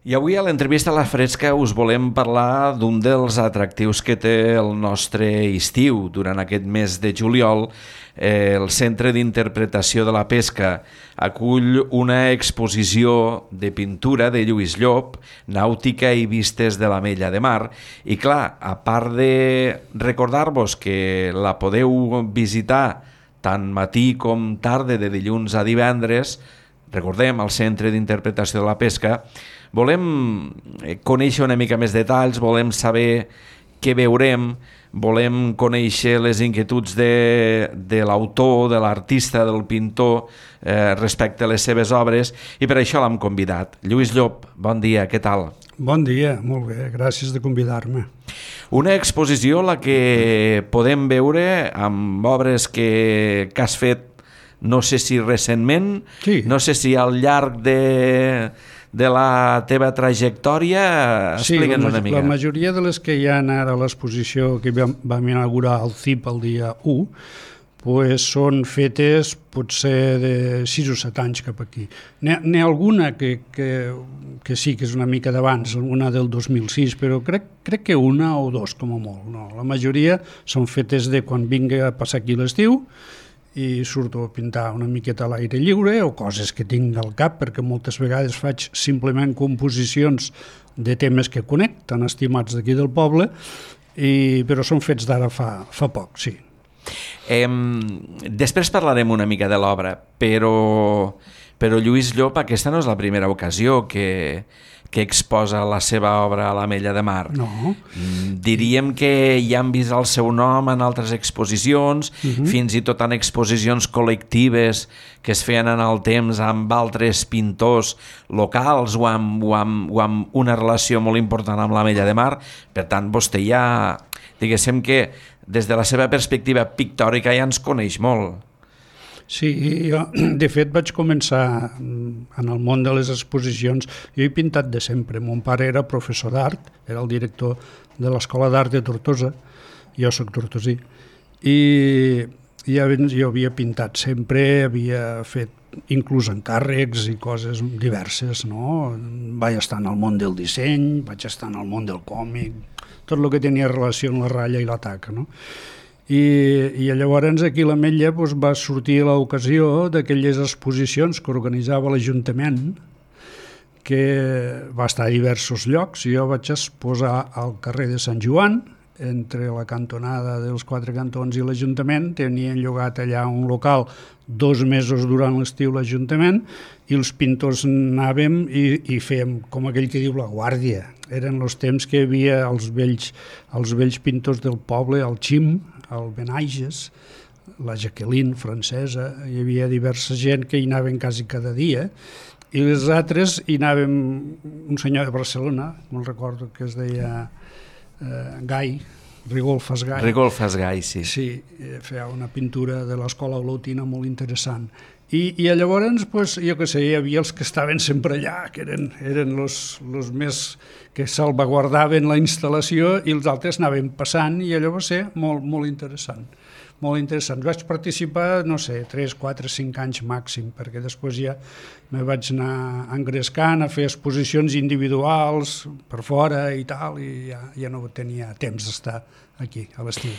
I avui a l'entrevista a la Fresca us volem parlar d'un dels atractius que té el nostre estiu. Durant aquest mes de juliol, el Centre d'Interpretació de la Pesca acull una exposició de pintura de Lluís Llop, nàutica i vistes de l'Ametlla de Mar. I clar, a part de recordar-vos que la podeu visitar tant matí com tarda de dilluns a divendres, recordem, al Centre d'Interpretació de la Pesca, volem conèixer una mica més detalls, volem saber què veurem, volem conèixer les inquietuds de l'autor, de l'artista, del pintor respecte a les seves obres, i per això l'hem convidat. Lluís Llop, bon dia, què tal? Bon dia, molt bé, gràcies de convidar-me. Una exposició la que podem veure amb obres que has fet, no sé si recentment, sí. No sé si al llarg de la teva trajectòria, explica'ns una mica. La majoria de les que hi ha ara a l'exposició que vam inaugurar al CIP el dia 1, pues són fetes potser de 6 o 7 anys cap aquí. N'hi ha alguna que sí que és una mica d'abans, una del 2006, però crec que una o dos com a molt. No, la majoria són fetes de quan vingui a passar aquí l'estiu, i surto a pintar una miqueta a l'aire lliure o coses que tinc al cap, perquè moltes vegades faig simplement composicions de temes que conec, tan estimats d'aquí del poble, però són fets d'ara fa poc, sí. Després parlarem una mica de l'obra, però Lluís Llop, aquesta no és la primera ocasió que exposa la seva obra a l'Ametlla de Mar. No. Diríem que ja han vist el seu nom en altres exposicions, fins i tot en exposicions col·lectives que es feien en el temps amb altres pintors locals o amb una relació molt important amb l'Ametlla de Mar. Per tant, vostè ja, diguéssim que des de la seva perspectiva pictòrica ja ens coneix molt. Sí, jo de fet vaig començar en el món de les exposicions. Jo he pintat de sempre. Mon pare era professor d'art, era el director de l'Escola d'Art de Tortosa, jo soc tortosí, i jo havia pintat sempre, havia fet inclús encàrrecs i coses diverses, no? Vaig estar en el món del disseny, vaig estar en el món del còmic, tot el que tenia relació amb la ratlla i la taca, no? I llavors aquí a l'Ametlla va sortir l'ocasió d'aquelles exposicions que organitzava l'Ajuntament, que va estar a diversos llocs. Jo vaig exposar al carrer de Sant Joan, entre la cantonada dels Quatre Cantons i l'Ajuntament. Tenien llogat allà un local 2 mesos durant l'estiu l'Ajuntament, i els pintors anàvem i fèiem, com aquell que diu, la guàrdia. Eren els temps que hi havia els vells pintors del poble, el Xim, el Benaiges, la Jacqueline francesa, hi havia diversa gent que hi anaven quasi cada dia, i les altres hi anàvem, un senyor de Barcelona, me'n recordo que es deia Gai, Rigolfas Gai. Rigolfas Gai, sí. Sí, feia una pintura de l'escola olotina molt interessant. I llavors, jo què sé, hi havia els que estaven sempre allà, que eren els més que salvaguardaven la instal·lació, i els altres anaven passant, i allò va ser molt, molt interessant. Molt interessant. Vaig participar, no sé, 3, 4, 5 anys màxim, perquè després ja me vaig anar engrescant a fer exposicions individuals per fora i tal, i ja no tenia temps d'estar aquí, a l'estiu.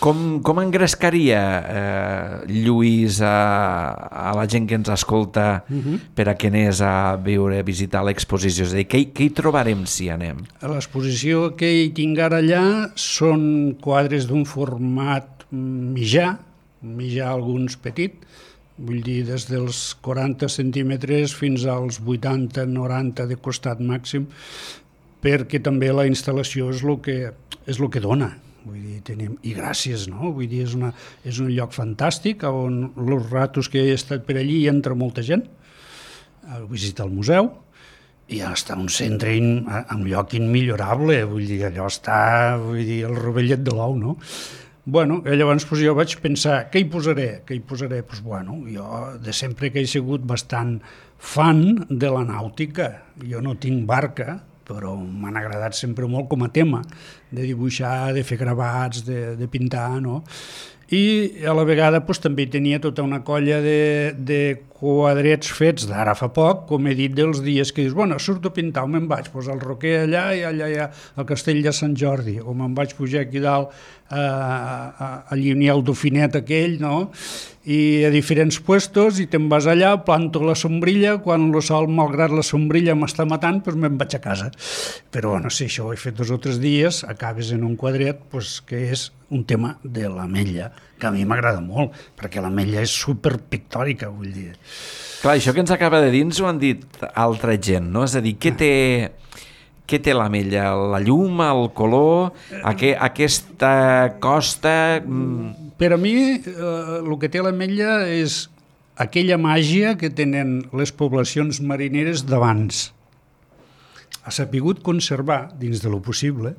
Com engrescaria Lluís a la gent que ens escolta per a que anés a veure, a visitar l'exposició? És a dir, què hi trobarem si anem? A l'exposició que hi tinc ara allà són quadres d'un format mitjà alguns petit, vull dir des dels 40 centímetres fins als 80-90 de costat màxim, perquè també la instal·lació és el que dona. Vull dir, i gràcies, no? Vull dir, és un lloc fantàstic on els ratos que he estat per allí hi entra molta gent a visitar el museu, i està un centre, un lloc immillorable, vull dir, allò està, el rovellet de l'ou, no? Bueno, llavors jo vaig pensar, què hi posaré? Doncs bueno, jo de sempre que he sigut bastant fan de la nàutica. Jo no tinc barca, però m'han agradat sempre molt com a tema de dibuixar, de fer gravats, de pintar, no? I a la vegada també tenia tota una colla de quadrets fets d'ara fa poc, com he dit, dels dies que dius, bueno, surto a pintar, o me'n vaig posar el Roquer allà i allà hi ha el castell de Sant Jordi, o me'n vaig pujar aquí dalt allí n'hi ha el Dauphinet aquell, no? I a diferents puestos, i te'n vas allà, planto la sombrilla, quan el sol, malgrat la sombrilla, m'està matant, doncs me'n vaig a casa. Però, bueno, si això ho he fet 2 o 3 dies, acabes en un quadret que és un tema de l'ametlla, que a mi m'agrada molt, perquè l'ametlla és superpictòrica, vull dir. Clar, això que ens acaba de dir ens ho han dit altra gent, no? És a dir, què té l'ametlla? La llum, el color, aquesta costa... Per a mi, el que té l'ametlla és aquella màgia que tenen les poblacions marineres d'abans. Ha sapigut conservar, dins de lo possible,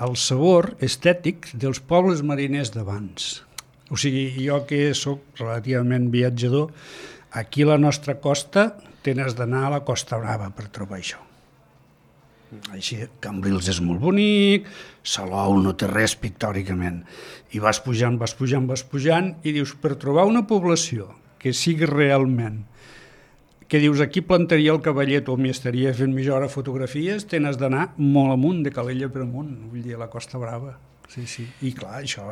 el sabor estètic dels pobles mariners d'abans. O sigui, jo que sóc relativament viatjador, aquí a la nostra costa tens d'anar a la Costa Brava per trobar això. Així, Cambrils és molt bonic, Salou no té res pictòricament. I vas pujant, i dius, per trobar una població que sigui realment, que dius, aquí plantaria el cavallet o m'hi estaria fent mitja hora fotografies, tens d'anar molt amunt, de Calella per amunt, vull dir, a la Costa Brava. Sí. I clar, això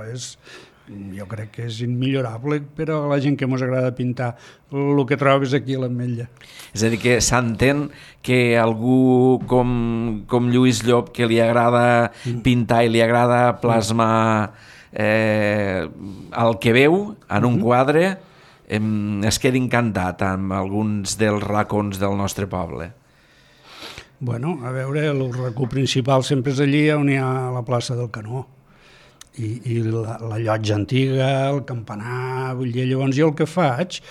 jo crec que és immillorable per a la gent que ens agrada pintar el que trobes aquí a l'Ametlla. És a dir, que s'entén que algú com Lluís Llop, que li agrada pintar i li agrada plasmar el que veu en un quadre, es quedi encantat amb alguns dels racons del nostre poble. Bueno, a veure, el racó principal sempre és allí on hi ha la plaça del Canó. I la llotja antiga, el campanar, vull dir, llavors jo el que faig,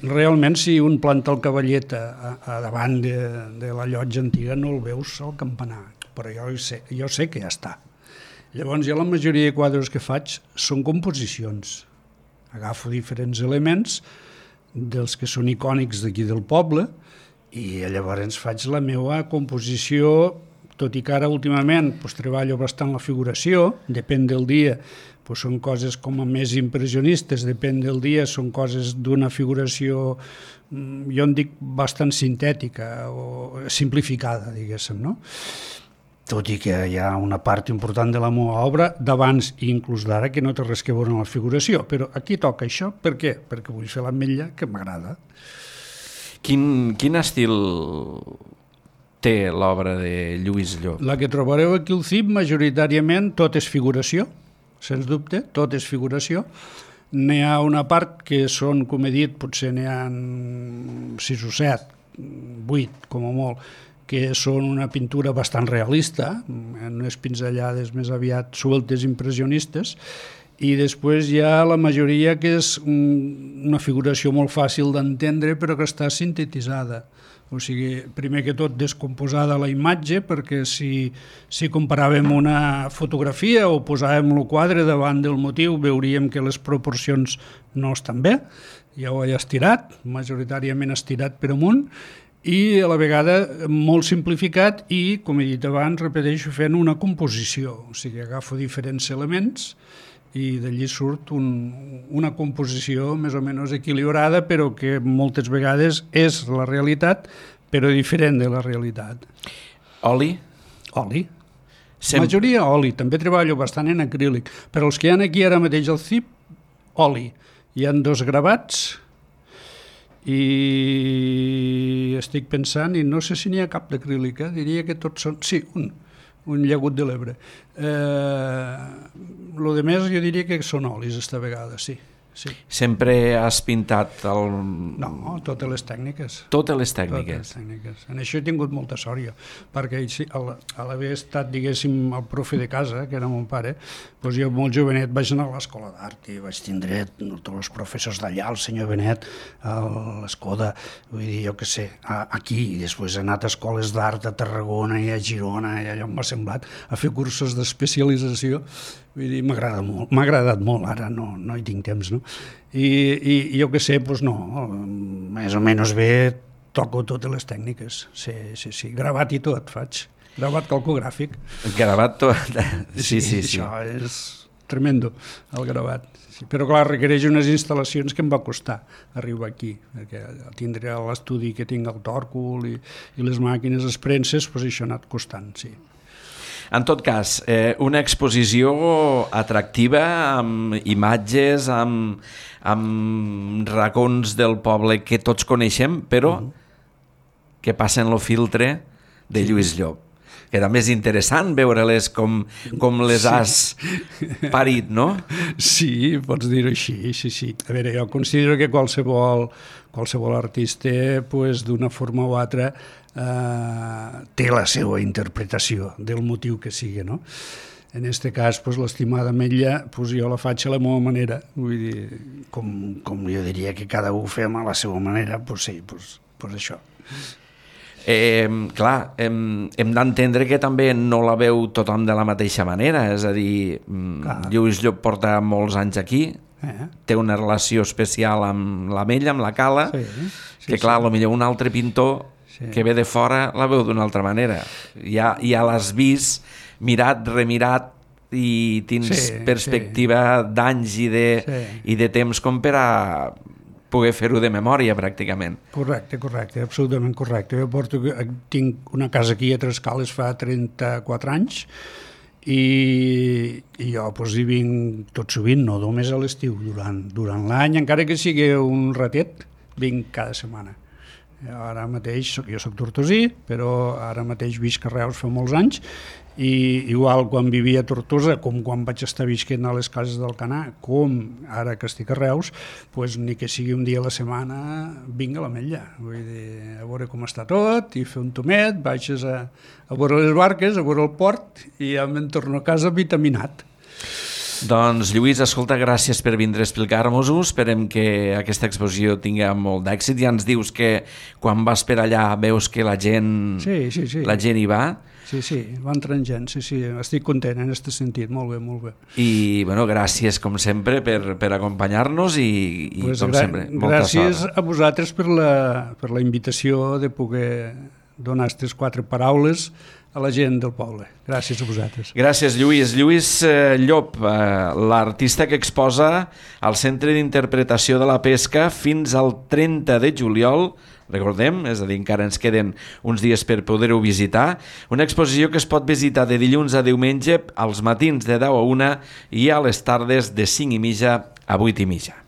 realment si un planta el cavallet a davant de la llotja antiga no el veus al campanar, però jo sé que ja està. Llavors jo la majoria de quadres que faig són composicions, agafo diferents elements dels que són icònics d'aquí del poble i llavors faig la meva composició. Tot i que ara últimament treballo bastant la figuració, depèn del dia, són coses com a més impressionistes, depèn del dia, són coses d'una figuració, jo en dic bastant sintètica o simplificada, diguéssim, no? Tot i que hi ha una part important de la meva obra d'abans i inclús d'ara que no té res que veure amb la figuració, però aquí toca això, per què? Perquè vull fer l'ametlla que m'agrada. Quin estil té l'obra de Lluís Llop? La que trobareu aquí al CIP majoritàriament tot és figuració, sens dubte, tot és figuració. N'hi ha una part que són, com he dit, potser n'hi ha 6 o 7, 8 com a molt, que són una pintura bastant realista, en unes pinzellades més aviat sueltes impressionistes, i després hi ha la majoria que és una figuració molt fàcil d'entendre però que està sintetitzada. O sigui, primer que tot descomposada la imatge, perquè si comparàvem una fotografia o posàvem el quadre davant del motiu veuríem que les proporcions no estan bé, ja ho he estirat, majoritàriament estirat per amunt, i a la vegada molt simplificat i, com he dit abans, repeteixo, fent una composició, o sigui, agafo diferents elements i d'allí surt una composició més o menys equilibrada, però que moltes vegades és la realitat, però diferent de la realitat. Oli? Oli. Majoria oli, també treballo bastant en acrílic, però els que hi ha aquí ara mateix al CIP, oli. Hi ha 2 gravats i estic pensant, i no sé si n'hi ha cap d'acrílic, diria que tots són... Sí, un llagut de l'Ebre. Lo de més jo diria que són olis esta vegada, sí. Sempre has pintat el... No, totes les tècniques. Totes les tècniques. En això he tingut molta sort jo, perquè a l'haver estat, diguéssim, el profe de casa, que era mon pare, doncs jo molt jovenet vaig anar a l'escola d'art i vaig tindre tots els professors d'allà, el senyor Benet, l'Escoda, vull dir, jo què sé, aquí, i després he anat a escoles d'art a Tarragona i a Girona, i allò m'ha semblat, a fer cursos d'especialització. Vull dir, m'ha agradat molt, ara no hi tinc temps, no? I jo què sé, doncs no, més o menys bé toco totes les tècniques, sí, gravat i tot faig. Gravat calcogràfic. Gravat tot. Sí. Això és tremendo, el gravat. Sí, però clar, requereix unes instal·lacions que em va costar arribar aquí, perquè tindré l'estudi que tinc al Tòrcul i les màquines esprenses, doncs això ha anat costant, sí. En tot cas, una exposició atractiva, amb imatges, amb racons del poble que tots coneixem, però que passen el filtre de Lluís Llop. Que també és interessant veure-les com les has parit, no? Sí, pots dir-ho així, sí. A veure, jo considero que qualsevol artista, pues, d'una forma o altra, té la seva interpretació del motiu que sigui, no? En aquest cas, pues, l'estimada Ametlla, pues, jo la faig a la meva manera, vull dir, com jo diria que cada un fem a la seva manera, pues sí, pues això. Clar, hem d'entendre que també no la veu tothom de la mateixa manera, és a dir, Lluís Llop porta molts anys aquí, té una relació especial amb l'Ametlla, amb la Cala, que clar, potser un altre pintor que ve de fora la veu d'una altra manera. Ja l'has vist, mirat, remirat, i tens perspectiva d'anys i de temps com per a poder fer-ho de memòria, pràcticament. Correcte, absolutament correcte. Jo tinc una casa aquí a Trescales fa 34 anys i jo hi vinc tot sovint, no només a l'estiu, durant l'any, encara que sigui un ratet, vinc cada setmana. Ara mateix, jo soc tortosí, però ara mateix visc a Reus fa molts anys, i igual quan vivia a Tortosa, com quan vaig estar visquent a les cases del Canà, com ara que estic a Reus, pues, ni que sigui un dia a la setmana vinc a l'Ametlla, vull dir, a veure com està tot, i fer un tomet, baixes a veure les barques, a veure el port, i ja me'n torno a casa vitaminat. Doncs Lluís, escolta, gràcies per vindre a explicar-nos-ho, esperem que aquesta exposició tingui molt d'èxit. Ja ens dius que quan vas per allà veus que la gent hi va. Sí, va entrant gent, sí, estic content en aquest sentit, molt bé. I, gràcies, com sempre, per acompanyar-nos i com sempre, molta sort. Gràcies a vosaltres per la invitació de poder donar aquestes 4 paraules a la gent del poble. Gràcies a vosaltres. Gràcies, Lluís. Lluís Llop, l'artista que exposa al Centre d'Interpretació de la Pesca fins al 30 de juliol, recordem, és a dir, encara ens queden uns dies per poder-ho visitar, una exposició que es pot visitar de dilluns a diumenge als matins de 10 a 1 i a les tardes de 5:30 a 8:30.